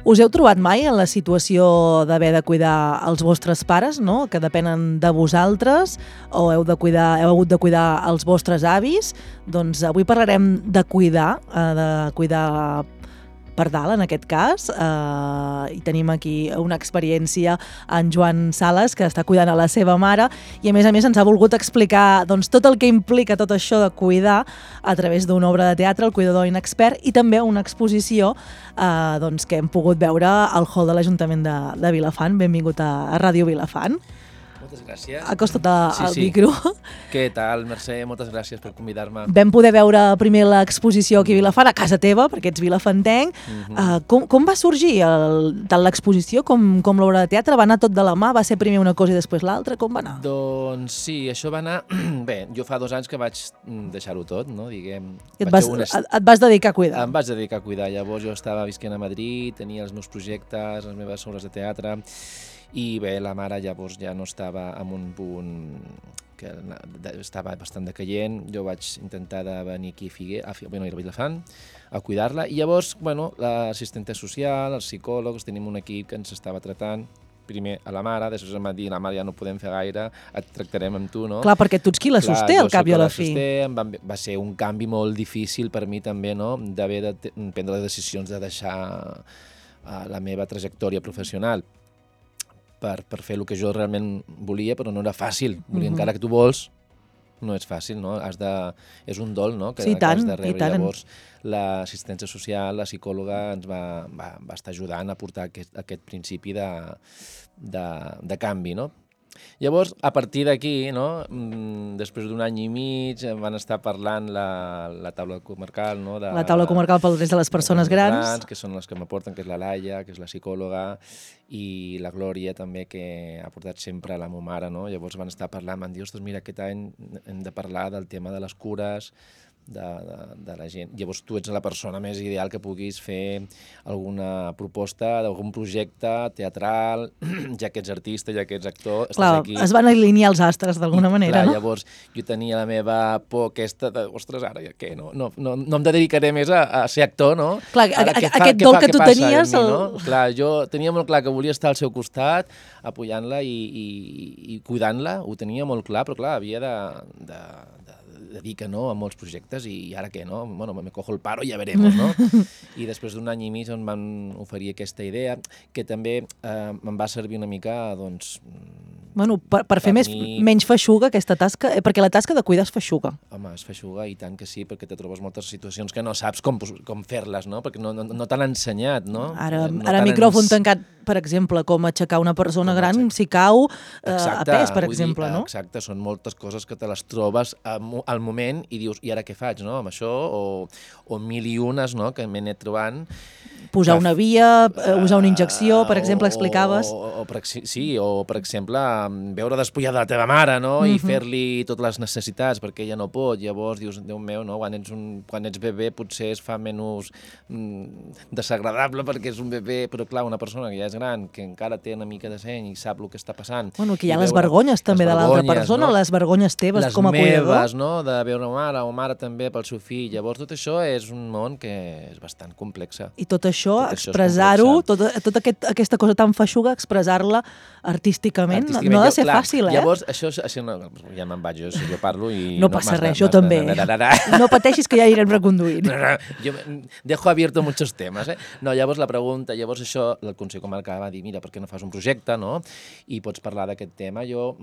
Us heu trobat mai en la situació d'haver de cuidar els vostres pares, no? Que depenen de vosaltres, o heu hagut de cuidar els vostres avis? Doncs avui parlarem de cuidar per dalt, en aquest cas, i tenim aquí una experiència en Joan Sales, que està cuidant a la seva mare, i a més ens ha volgut explicar doncs, tot el que implica tot això de cuidar a través d'una obra de teatre, El cuidador inexpert, i també una exposició doncs, que hem pogut veure al hall de l'Ajuntament de Vilafant. Benvingut a Ràdio Vilafant. Moltes gràcies. Acosta't al micro. Què tal, Mercè? Moltes gràcies per convidar-me. Vam poder veure primer l'exposició aquí a Vilafant, a casa teva, perquè ets vilafantenc. Com va sorgir tant l'exposició com l'obra de teatre? Va anar tot de la mà? Va ser primer una cosa i després l'altra? Com va anar? Doncs sí, això va anar... Bé, jo fa 2 anys que vaig deixar-ho tot, no? Diguem... Et vas dedicar a cuidar? Em vaig dedicar a cuidar. Llavors jo estava visquent a Madrid, tenia els meus projectes, les meves obres de teatre, i bé, la mare llavors ja no estava en un punt que estava bastant decaient. Jo vaig intentar de venir aquí a Vilafant a cuidar-la, i llavors, bueno, l'assistenta social, els psicòlegs, tenim un equip que ens estava tratant, primer a la mare, després em va dir, la mare ja no podem fer gaire, et tractarem amb tu, no? Clar, perquè tu ets qui la sosté, al cap i a la fi. Va ser un canvi molt difícil per mi també, no?, d'haver de prendre les decisions de deixar la meva trajectòria professional per fer el que jo realment volia, però no era fàcil. Encara que tu vols, no és fàcil, no? És un dol, no?, que has de rebre. Llavors, l'assistència social, la psicòloga, ens va estar ajudant a portar aquest principi de canvi, no? Llavors, a partir d'aquí, no, després d'1 any i mig, van estar parlant la taula comarcal, no? La taula comarcal pel dret de les persones grans. Que són les que m'aporten, que és la Laia, que és la psicòloga, i la Glòria també, que ha portat sempre a la meva mare, no? Llavors van estar parlant, van dir, ostres, mira, aquest any hem de parlar del tema de les cures, de la gent. Llavors tu ets la persona més ideal que puguis fer alguna proposta d'algun projecte teatral, ja que ets artista, ja que ets actor, estàs aquí. Es van alinear els astres d'alguna manera, no? Llavors jo tenia la meva por aquesta de, ostres, ara ja què, no em dedicaré més a ser actor, no? Clar, aquest dol que tu tenies... Clar, jo tenia molt clar que volia estar al seu costat, apoyant-la i cuidant-la, ho tenia molt clar, però clar, havia de dir que no a molts projectes, i ara què, no? Bueno, me cojo el paro i ja veremos, no? I després d'1 any i mig em van oferir aquesta idea, que també em va servir una mica, doncs... Bueno, per fer menys feixuga aquesta tasca, perquè la tasca de cuidar és feixuga. Home, és feixuga, i tant que sí, perquè te trobes moltes situacions que no saps com fer-les, no? Perquè no t'han ensenyat, no? Ara micròfon tancat, per exemple, com aixecar una persona gran si cau a pes, per exemple, no? Exacte, són moltes coses que te les trobes al moment i dius, i ara què faig, no?, amb això, o mil i unes, no?, que m'he anat trobant. Posar una via, usar una injecció, per exemple, explicaves. Sí, o per exemple, veure despullada la teva mare, no?, i fer-li totes les necessitats, perquè ella no pot. Llavors dius, Déu meu, no?, quan ets bebè potser es fa menys desagradable perquè és un bebè, però clar, una persona que ja és gran, que encara té una mica de seny i sap el que està passant. Bueno, que hi ha les vergonyes també de l'altra persona, les vergonyes teves com a cuidador. Les meves, no?, de veure una mare o mare també pel seu fill. Llavors tot això és un món que és bastant complex. I tot això, expressar-ho, tota aquesta cosa tan feixuga, expressar-la artísticament, no ha de ser fàcil, eh? Llavors, això ja me'n vaig, jo parlo i... No passa res, jo també. No pateixis que ja anirem reconduint. Jo dejo abierto muchos temas, eh? No, llavors la pregunta, llavors això, el Consell Comarcal va dir, mira, per què no fas un projecte, no? I pots parlar d'aquest tema. Jo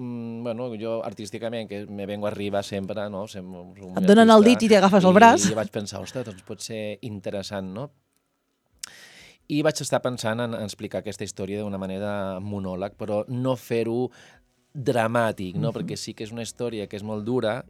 artísticament, que me vengo arriba sempre, no? Et donen el dit i t'agafes el braç. I vaig pensar, ostres, doncs pot ser interessant, no? I vaig estar pensant en explicar aquesta història d'una manera monòleg, però no fer-ho dramàtic, no? Perquè sí que és una història que és molt dura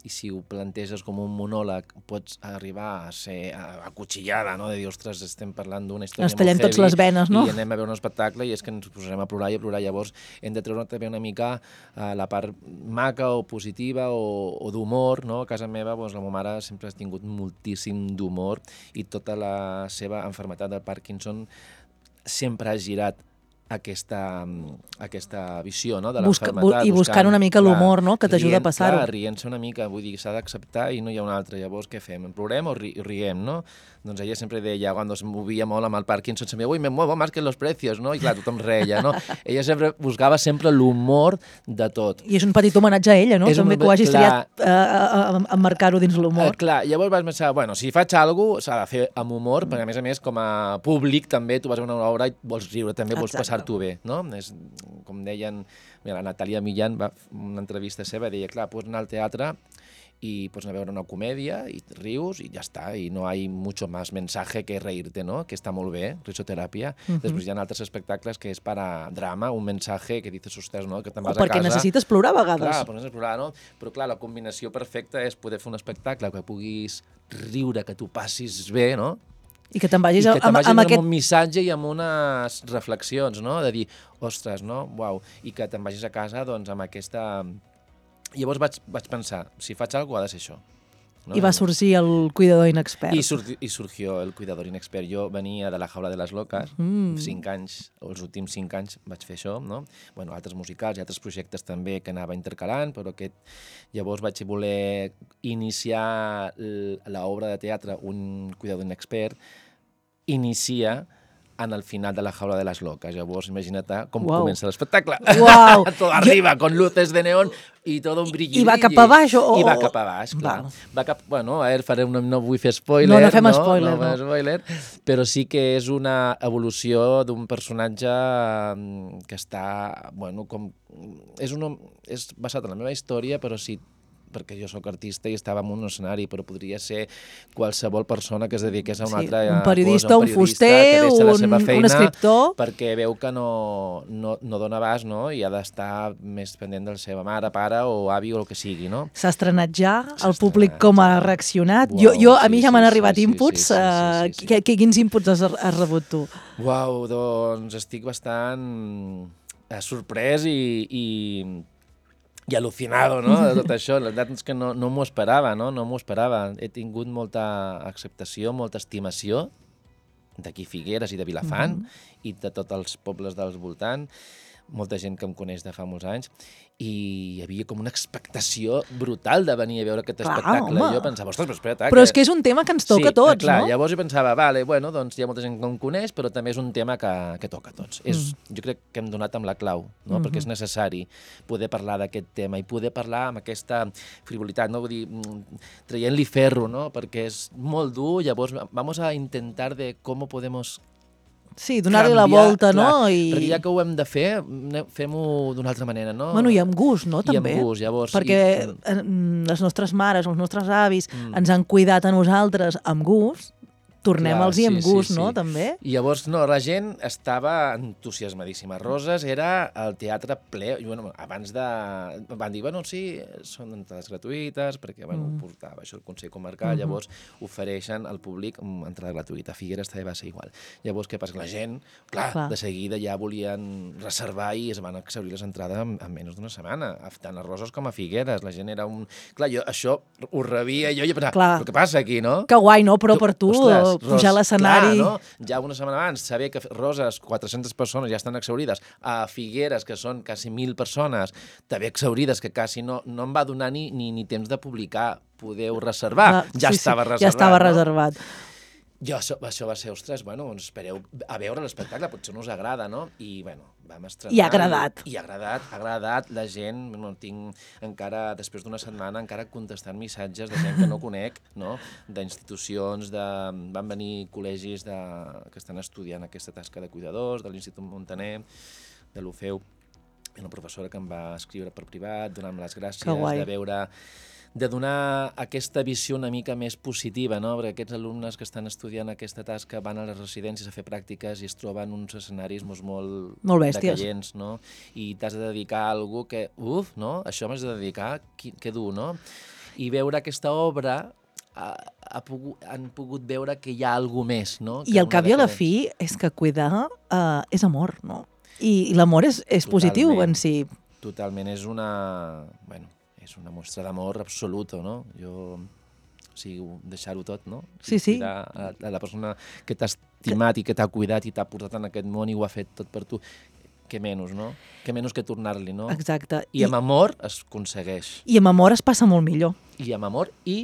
i si ho planteges com un monòleg pots arribar a ser acutxillada, no? De dir, ostres, estem parlant d'una història molt heavy. Ens tallem tots les venes, no? I anem a veure un espectacle i és que ens posarem a plorar i a plorar. Llavors hem de treure també una mica la part maca o positiva o d'humor, no? A casa meva, la meva mare sempre ha tingut moltíssim d'humor i tota la seva malaltia del Parkinson sempre ha girat aquesta visió, no?, de l'enfermetat. I buscant una mica l'humor, no?, que t'ajuda a passar-ho. Clar, rient-se una mica, vull dir, s'ha d'acceptar i no hi ha una altra. Llavors, què fem? Plorem o riem, no? Doncs ella sempre deia, quan es movia molt amb el Parkinson, sempre, ui, me muevo más que los precios, no? I clar, tothom reia, no? Ella sempre buscava sempre l'humor de tot. I és un petit homenatge a ella, no? També que ho hagis triat emmarcar-ho dins l'humor. Clar, llavors vas pensar, bueno, si faig alguna cosa, s'ha de fer amb humor, perquè a més, com a públic també tu vas a una obra i vols riure, també vols passar-t'ho bé, no? És, com deien, mira, la Natàlia Millán, una entrevista seva, deia, clar, pots anar al teatre y pues a veure una comèdia i rius i ja està, i no hay mucho más mensaje que reírte, ¿no? Que està molt bé, risoteràpia. Després hi ha altres espectacles que és per a drama, un mensaje que dices, ostres, no? Que te'n vas a casa... O perquè necessites plorar a vegades. Clar, però necessites plorar, no? Però clar, la combinació perfecta és poder fer un espectacle que puguis riure, que tu passis bé, no? I que te'n vagis amb un missatge i amb unes reflexions, no? De dir, ostres, no? Uau. I que te'n vagis a casa, doncs, amb aquesta... Llavors vaig pensar, si faig alguna cosa ha de ser això. ¿no? I va sorgir el cuidador inexpert. I surgió el cuidador inexpert. Jo venia de la jaula de les loques, 5 anys, els últims 5 anys vaig fer això, no? Bueno, altres musicals i altres projectes també que anava intercalant, però llavors vaig voler iniciar l'obra de teatre Un cuidador inexpert, inicia en el final de la jaula de les loques. Llavors, imagina't com comença l'espectacle. Uau! Tot arriba, con luces de neón i tot un brilli. I va cap a baix? I va cap a baix, clar. Bueno, a veure, no vull fer spoiler. No fem spoiler. No fem spoiler, però sí que és una evolució d'un personatge que està, bueno, com... És basat en la meva història, però sí, perquè jo sóc artista i estava en un escenari, però podria ser qualsevol persona que es dediqués a una altra cosa. Un periodista, un fuster, un escriptor... Perquè veu que no dona abast, no? I ha d'estar més pendent de la seva mare, pare o avi o el que sigui, no? S'ha estrenat ja, el públic com ha reaccionat. A mi ja m'han arribat inputs. Quins inputs has rebut tu? Uau, doncs estic bastant sorprès i al·lucinado, no?, de tot això. La veritat és que no m'ho esperava, no m'ho esperava. He tingut molta acceptació, molta estimació d'aquí Figueres i de Vilafant i de tots els pobles dels voltants, molta gent que em coneix de fa molts anys, i hi havia com una expectació brutal de venir a veure aquest espectacle. Home. Jo pensava, ostres, però espera't... Però és que és un tema que ens toca a tots, clar, no? Llavors jo pensava, vale, bueno, doncs hi ha molta gent que em coneix, però també és un tema que toca a tots. Jo crec que hem donat amb la clau, no? Perquè és necessari poder parlar d'aquest tema i poder parlar amb aquesta frivolitat, no? Vull dir, traient-li ferro, no? Perquè és molt dur, llavors vamos a intentar de cómo podemos... Sí, donar-li la volta, clar, no? Perquè ja que ho hem de fer, fem-ho d'una altra manera, no? Bueno, i amb gust, no, també? I amb gust, llavors... Perquè les nostres mares, els nostres avis ens han cuidat a nosaltres amb gust, tornem-los-hi amb gust, no, també? I llavors, no, la gent estava entusiasmadíssima. Roses era el teatre ple, i bueno, abans de... Van dir, bueno, sí, són entrades gratuïtes, perquè, bueno, portava això el Consell Comarcal, llavors ofereixen al públic entrada gratuïta. A Figueres també va ser igual. Llavors, què passa? La gent, clar, de seguida ja volien reservar i es van exhaurir les entrades en menys d'una setmana, tant a Roses com a Figueres. La gent era un... Clar, jo això ho rebia jo i pensava, però què passa aquí, no? Que guai, no? Però per tu... pujar a l'escenari... Clar, no? Ja una setmana abans, saber que Roses, 400 persones ja estan exhaurides, a Figueres, que són quasi 1.000 persones, també exhaurides, que quasi no em va donar ni temps de publicar, podeu reservar. Estava reservat. Ja estava reservat. Això va ser, ostres, bueno, doncs espereu a veure l'espectacle, potser no us agrada, no? I, bueno, vam estrenar... I ha agradat. I ha agradat, la gent, no tinc encara, després d'una setmana, encara contestant missatges de gent que no conec, no? D'institucions, van venir col·legis que estan estudiant aquesta tasca de cuidadors, de l'Institut Montaner, de l'UFEU, una professora que em va escriure per privat, donant-me les gràcies, de donar aquesta visió una mica més positiva, no? Perquè aquests alumnes que estan estudiant aquesta tasca van a les residències a fer pràctiques i es troben uns escenaris molt decallents, no? I t'has de dedicar a alguna que, no? Això m'has de dedicar, que dur, no? I veure aquesta obra han pogut veure que hi ha alguna més, no? I al cap i a la fi és que cuidar és amor, no? I l'amor és positiu en si. Totalment, és una mostra d'amor absoluta, no? O sigui, deixar-ho tot, no? Sí. A la persona que t'ha estimat i que t'ha cuidat i t'ha portat en aquest món i ho ha fet tot per tu. què menys, no? Què menys que tornar-li, no? Exacte. I amb amor es aconsegueix. I amb amor es passa molt millor. I amb amor i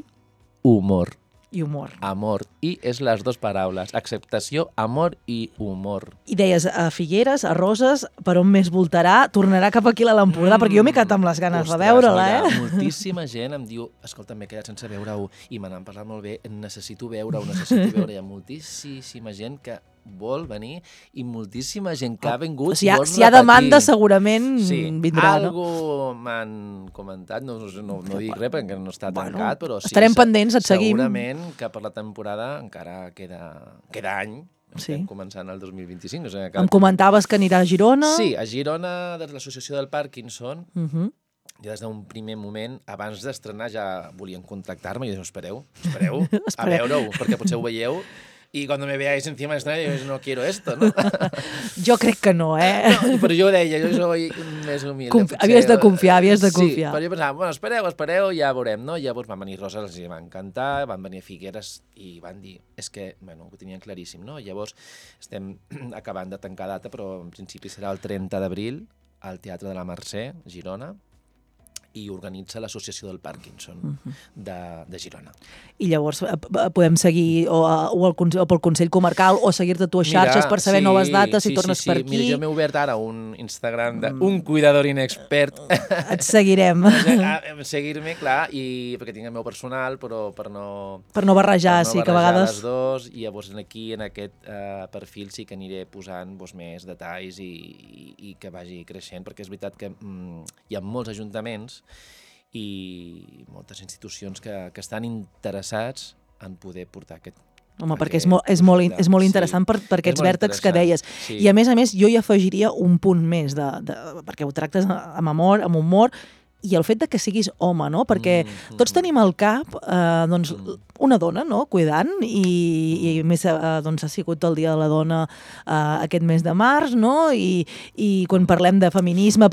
humor. I humor. Amor. I és les dues paraules. Acceptació, amor i humor. I deies, a Figueres, a Roses, per on més voltarà? Tornarà cap aquí a l'Empordà? Perquè jo m'he quedat amb les ganes de veure-la, Moltíssima gent em diu, escolta, m'he quedat sense veure-ho, i me n'han parlat molt bé, necessito veure-ho, necessito veure-ho. Hi ha moltíssima gent que vol venir i moltíssima gent que ha vingut si hi ha demanda segurament vindrà. Algú m'han comentat, no dic res perquè no està tancat, però sí, estarem pendents, et seguim. Segurament que per la temporada encara queda any. Estem començant el 2025. O sigui, em comentaves que anirà a Girona. Sí, a Girona, de l'Associació del Parkinson. Ja des d'un primer moment, abans d'estrenar ja volien contactar-me i jo espereu a veure-ho, perquè potser ho veieu. Y cuando me veáis encima del escenario, yo no quiero esto, ¿no? Jo crec que no, No, però jo deia, jo soy més humilde. Havies de confiar. Sí, però jo pensava, bueno, espereu, ja veurem, no? Llavors van venir Roses, els va encantar, van venir Figueres i van dir, és que, bueno, ho tenien claríssim, no? Llavors estem acabant de tancar data, però en principi serà el 30 d'abril al Teatre de la Mercè, Girona, i organitza l'Associació del Parkinson de Girona. I llavors podem seguir o pel Consell Comarcal o seguir-te tu a xarxes per saber noves dates, si tornes per aquí. Mira, jo m'he obert ara un Instagram d'un cuidador inexpert. Et seguirem. Seguir-me, clar, perquè tinc el meu personal, però per no... Per no barrejar, sí, que a vegades... les dos, i llavors aquí, en aquest perfil, sí que aniré posant més detalls i que vagi creixent, perquè és veritat que hi ha molts ajuntaments i moltes institucions que estan interessats en poder portar aquest... Home, perquè és molt interessant per aquests vèrtexs que deies. I a més, jo hi afegiria un punt més, perquè ho tractes amb amor, amb humor, i el fet de que siguis home, no? Perquè tots tenim al cap una dona, no?, cuidant, i més ha sigut el Dia de la Dona aquest mes de març, no? I quan parlem de feminisme,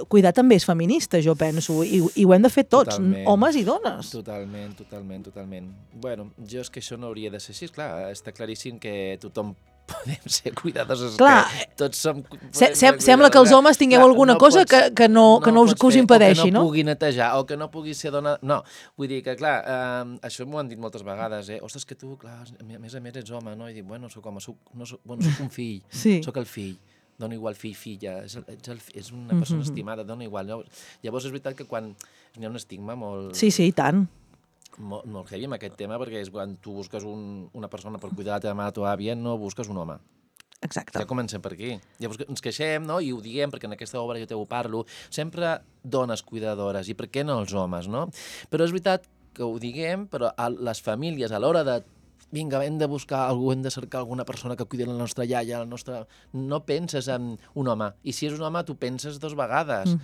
cuidar també és feminista, jo penso, i ho hem de fer tots, homes i dones. Totalment. Bueno, jo és que això no hauria de ser així, clar, està claríssim que tothom podem ser cuidadors, clar, que tots som... Sembla que els homes tingueu alguna cosa que us impedeixi, no? O que no pugui netejar, o que no pugui ser dona... No, vull dir que, clar, això m'ho han dit moltes vegades, Ostres, que tu, clar, a més ets home, no? I dic, bueno, soc home, soc un fill, soc el fill. Dona igual fill, filla, és una persona estimada, dona igual. Llavors és veritat que quan hi ha un estigma molt... Sí, i tant. Molt heavy amb aquest tema, perquè és quan tu busques una persona per cuidar la teva mare o teva àvia, no busques un home. Exacte. Ja comencem per aquí. Llavors ens queixem, no?, i ho diem, perquè en aquesta obra jo te ho parlo, sempre dones cuidadores, i per què no els homes, no? Però és veritat que ho diguem, però les famílies, a l'hora de vinga, hem de buscar algú, hem de cercar alguna persona que cuidi la nostra iaia, no penses en un home. I si és un home, tu penses dues vegades.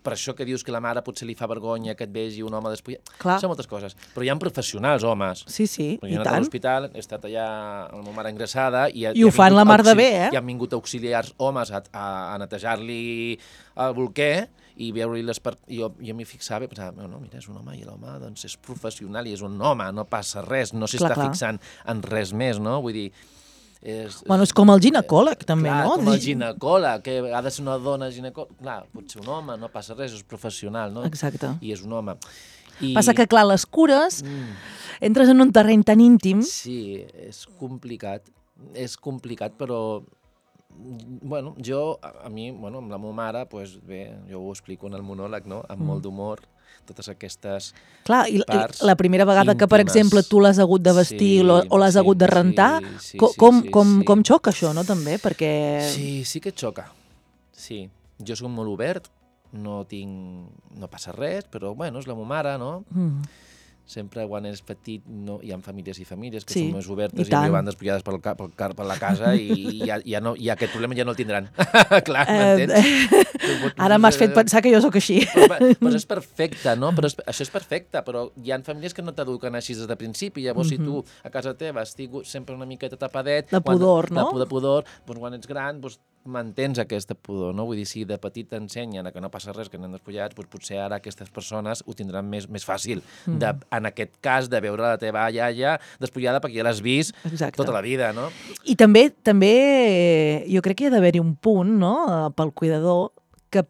Per això que dius que la mare potser li fa vergonya que et vegi un home després... Són moltes coses. Però hi ha professionals, homes. Sí, i tant. Jo he anat a l'hospital, he estat allà amb la meva mare ingressada... I ho fan la mar de bé, I han vingut auxiliars homes a netejar-li el bolquer i veure-li les parts... Jo m'hi fixava i pensava, no, mira, és un home, i l'home doncs, és professional i és un home, no passa res, no s'està fixant en res més, no? Vull dir... És com el ginecòleg, també, no? Com el ginecòleg, que ha de ser una dona ginecòleg. Clar, pot ser un home, no passa res, és professional, no? Exacte. I és un home. Passa que, clar, les cures, entres en un terreny tan íntim... Sí, és complicat, però... Bueno, amb la meva mare, bé, jo ho explico en el monòleg, no?, amb molt d'humor, totes aquestes parts la primera vegada que, per exemple, tu l'has hagut de vestir o l'has hagut de rentar, com xoca això, no?, també, perquè... Sí que xoca, sí. Jo soc molt obert, no passa res, però, bueno, és la meva mare, no? Sempre quan és petit hi ha famílies i famílies que són més obertes i van despullades per la casa i aquest problema ja no el tindran. Clar, m'entens? Ara m'has fet pensar que jo sóc així. Però és perfecte, no? Això és perfecte, però hi ha famílies que no t'eduquen així des de principi. Llavors, si tu a casa teva has tingut sempre una miqueta tapadet... De pudor, no? De pudor, quan ets gran mantens aquesta pudor, no? Vull dir, si de petit t'ensenyen que no passa res, que anem despullats, doncs potser ara aquestes persones ho tindran més fàcil. En aquest cas, de veure la teva iaia despullada perquè ja l'has vist tota la vida, no? I també jo crec que hi ha d'haver-hi un punt, no?, pel cuidador, que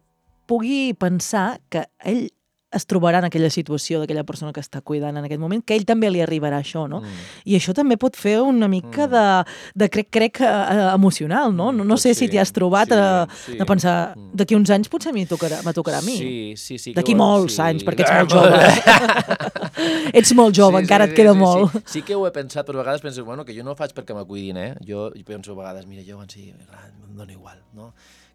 pugui pensar que ell es trobarà en aquella situació d'aquella persona que està cuidant en aquest moment, que ell també li arribarà això, no? I això també pot fer una mica de crec emocional, no? No sé si t'hi has trobat de pensar, d'aquí uns anys potser m'tocarà a mi. Sí. D'aquí molts anys, perquè ets molt jove. Ets molt jove, encara et queda molt. Sí que ho he pensat, però a vegades penso, bueno, que jo no ho faig perquè me cuidin, Jo penso a vegades, mira, jo quan sigui gran, em dona igual, no?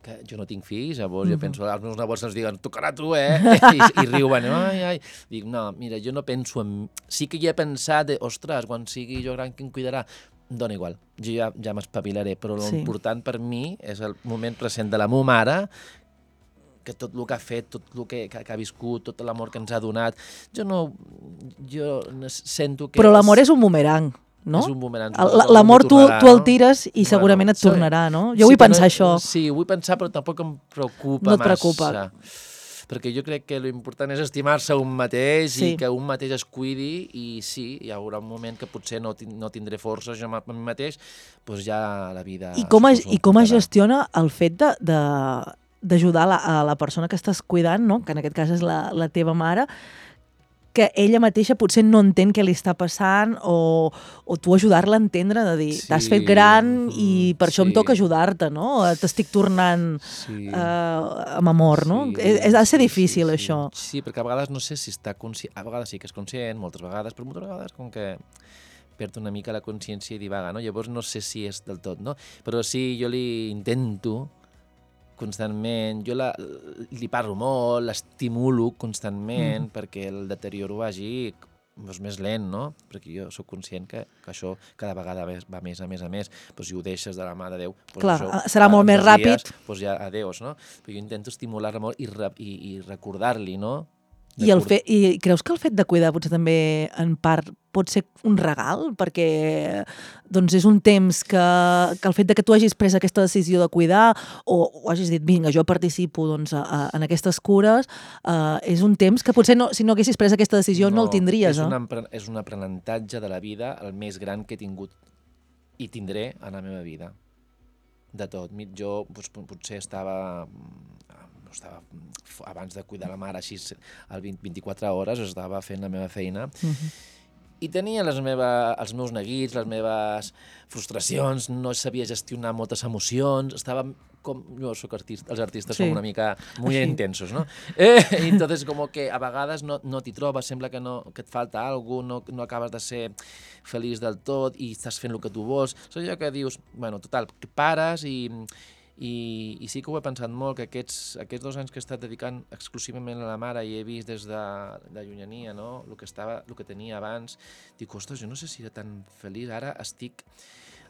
Que jo no tinc fills, llavors jo penso, els meus nebots ens diguen, tocarà tu, I riuen, ai. Dic, no, mira, jo no penso en... Sí que hi he pensat, ostres, quan sigui jo gran, qui em cuidarà? Em dona igual, jo ja m'espavilaré, però l'important per mi és el moment present de la meva mare, que tot el que ha fet, tot el que ha viscut, tot l'amor que ens ha donat, jo sento que... Però l'amor és un bumerang, no? És un bumerang. L'amor tu el tires i segurament et tornarà, no? Jo vull pensar això. Sí, vull pensar, però tampoc em preocupa massa. No et preocupa. Perquè jo crec que l'important és estimar-se un mateix i que un mateix es cuidi i sí, hi haurà un moment que potser no tindré força jo a mi mateix, doncs ja la vida... I com es gestiona el fet d'ajudar a la persona que estàs cuidant, no? Que en aquest cas és la teva mare, que ella mateixa potser no entén què li està passant o tu ajudar-la a entendre, de dir, t'has fet gran i per això em toca ajudar-te, no? T'estic tornant amb amor, no? Ha de ser difícil, això. Sí, perquè a vegades no sé si està conscient, a vegades sí que és conscient, moltes vegades, però moltes vegades com que perd una mica la consciència i divaga, no? Llavors no sé si és del tot, no? Però sí, jo li intento constantment, jo li parlo molt, l'estimulo constantment perquè el deterioro vagi més lent, no? Perquè jo sóc conscient que això cada vegada va més a més. Doncs si ho deixes de la mà de Déu... Clar, serà molt més ràpid. Doncs ja adeus, no? Però jo intento estimular-la molt i recordar-li, no? I creus que el fet de cuidar potser també en part pot ser un regal? Perquè doncs és un temps que el fet de que tu hagis pres aquesta decisió de cuidar o hagis dit, vinga, jo participo en aquestes cures, és un temps que potser si no haguessis pres aquesta decisió no el tindries. És un aprenentatge de la vida el més gran que he tingut i tindré a la meva vida. De tot. Jo potser estava abans de cuidar la mare així 24 hores, estava fent la meva feina i tenia els meus neguits, les meves frustracions, no sabia gestionar moltes emocions, estava com... Jo soc artista, els artistes som una mica muy intensos, no? I entonces como que a vegades no t'hi trobes, sembla que et falta alguna cosa, no acabes de ser feliç del tot i estàs fent el que tu vols. És allò que dius, bueno, total, que pares i sí que ho he pensat molt, que aquests 2 anys que he estat dedicant exclusivament a la mare i he vist des de llunyania, no? El que tenia abans, dic, ostres, jo no sé si era tan feliç, ara estic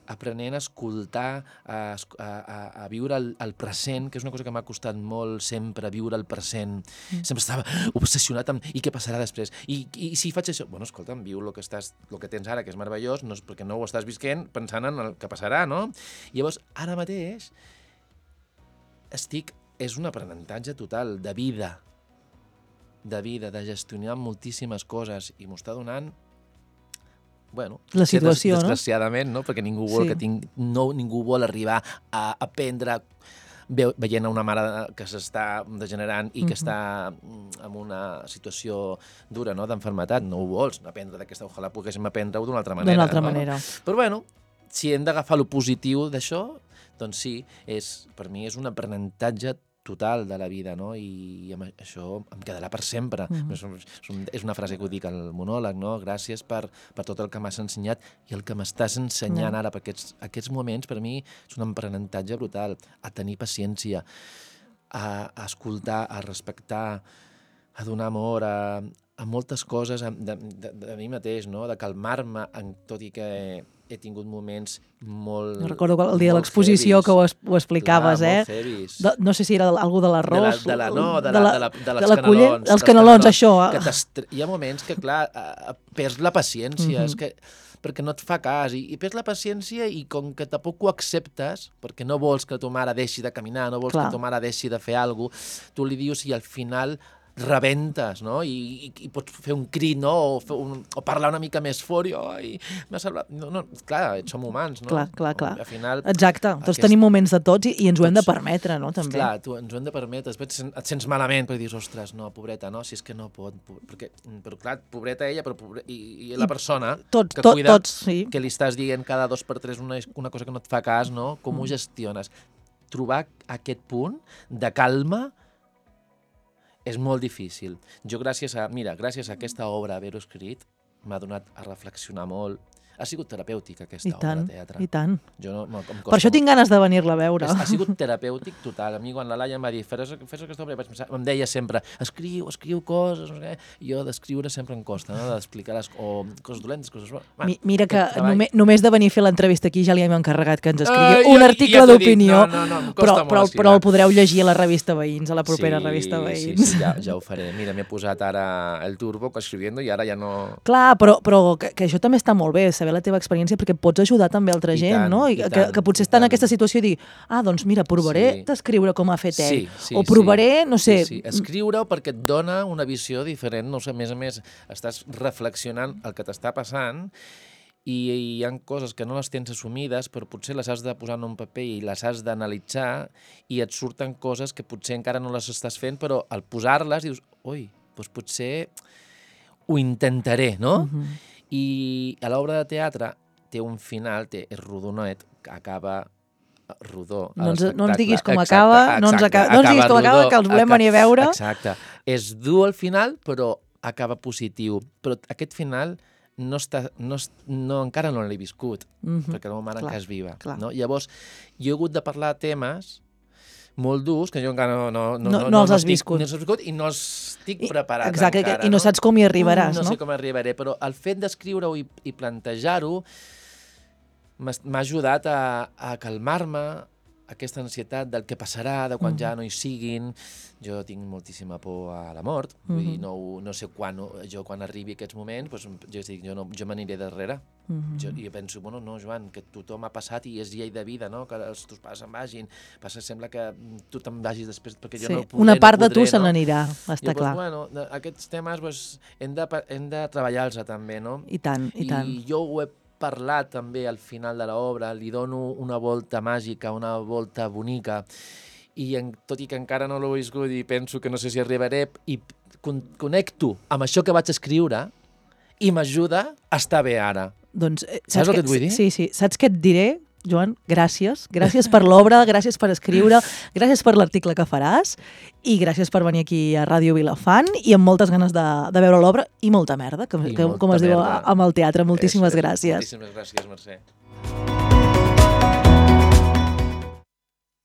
aprenent a escoltar, a viure el present, que és una cosa que m'ha costat molt sempre, viure el present. Sempre estava obsessionat amb i què passarà després, i si faig això... Bueno, escolta'm, viu el que tens ara, que és meravellós, perquè no ho estàs visquent pensant en el que passarà, no? Llavors, ara mateix és un aprenentatge total de vida, de gestionar moltíssimes coses, i m'ho està donant, bueno, la situació, desgraciadament, no? Perquè ningú vol arribar a aprendre veient una mare que s'està degenerant i que està en una situació dura, no?, d'enfermetat. No ho vols aprendre d'aquesta, ojalà poguéssim aprendre-ho d'una altra manera. D'una altra manera. Però bueno, si hem d'agafar el positiu d'això, doncs sí, per mi és un aprenentatge total de la vida, no? I això em quedarà per sempre. És una frase que ho dic al monòleg, no? Gràcies per tot el que m'has ensenyat i el que m'estàs ensenyant ara, perquè aquests moments per mi és un aprenentatge brutal, a tenir paciència, a escoltar, a respectar, a donar amor, a moltes coses de mi mateix, no? De calmar-me, tot i que he tingut moments molt... No recordo el dia de l'exposició que ho explicaves, molt heavies. No sé si era algú de l'arròs... De les canelons. Els canelons, això. Hi ha moments que, clar, perds la paciència. perquè no et fa cas, i perds la paciència i com que tampoc ho acceptes, perquè no vols que ta mare deixi de caminar, no vols que ta mare deixi de fer alguna cosa, tu li dius i al final rebentes, no? I pots fer un crit, no? O parlar una mica més fort, i m'ha salvat. No, clar, som humans, no? Clar. Al final, exacte, tots tenim moments de tots i ens ho hem de permetre, no? També. Clar, ens ho hem de permetre. Després et sents malament perquè dius, ostres, no, pobreta, no? Si és que no pot. Però clar, pobreta ella, i la persona que cuida, que li estàs dient cada 2x3 una cosa que no et fa cas, no? Com ho gestiones? Trobar aquest punt de calma és molt difícil. Jo, gràcies a aquesta obra, haver-ho escrit, m'ha donat a reflexionar molt. Ha sigut terapèutica, aquesta obra de teatre. I tant. Per això tinc ganes de venir-la a veure. Ha sigut terapèutic total. A mi, quan la Laia em va dir, fes aquesta obra, em deia sempre, escriu coses, no sé què. Jo d'escriure sempre em costa, no? D'explicar coses dolentes, coses bones. Mira que només de venir a fer l'entrevista aquí ja li hem encarregat que ens escrigui un article d'opinió, però el podreu llegir a la revista Veïns, a la propera revista Veïns. Sí, ja ho faré. Mira, m'he posat ara el turbo escriviendo i ara ja no... Clar, però que això també està molt bé, saber la teva experiència, perquè pots ajudar també altra gent, no? Que potser està en aquesta situació i dir, doncs mira, provaré d'escriure com ha fet ell. O provaré, no sé... Escriure-ho perquè et dona una visió diferent, no sé, a més, estàs reflexionant el que t'està passant i hi ha coses que no les tens assumides, però potser les has de posar en un paper i les has d'analitzar i et surten coses que potser encara no les estàs fent, però al posar-les dius, ui, doncs potser ho intentaré, no? I a l'obra de teatre té un final, és rodonet, que acaba rodó. No ens diguis com acaba, no ens diguis com acaba, que els volem venir a veure. Exacte. És dur al final, però acaba positiu. Però aquest final encara no l'he viscut, perquè la meva mare encara és viva. Llavors, jo he hagut de parlar de temes molt durs, que jo encara no els has viscut. I no estic preparat exacte, encara. I no saps com hi arribaràs, no? No sé com arribaré, però el fet d'escriure-ho i plantejar-ho m'ha ajudat a calmar-me, aquesta ansietat del que passarà, de quan ja no hi siguin. Jo tinc moltíssima por a la mort, vull dir, no sé quan arribi aquests moments, jo m'aniré darrere. Jo penso, no, Joan, que tothom ha passat i és llei de vida, no? Que els teus pares se'n vagin. Sembla que tu te'n vagis després perquè jo no podré. Una part de tu se n'anirà, està clar. Aquests temes hem de treballar-los també, no? I tant. I jo ho he parlat també al final de l'obra, li dono una volta màgica, una volta bonica, i tot i que encara no l'he viscut i penso que no sé si arribaré, i connecto amb això que vaig escriure i m'ajuda a estar bé ara. Doncs, saps el que et vull dir? Sí. Saps què et diré, Joan? Gràcies. Gràcies per l'obra, gràcies per escriure, gràcies per l'article que faràs i gràcies per venir aquí a Ràdio Vilafant i amb moltes ganes de veure l'obra i molta merda, com es diu amb el teatre. Moltíssimes gràcies. Moltíssimes gràcies, Mercè.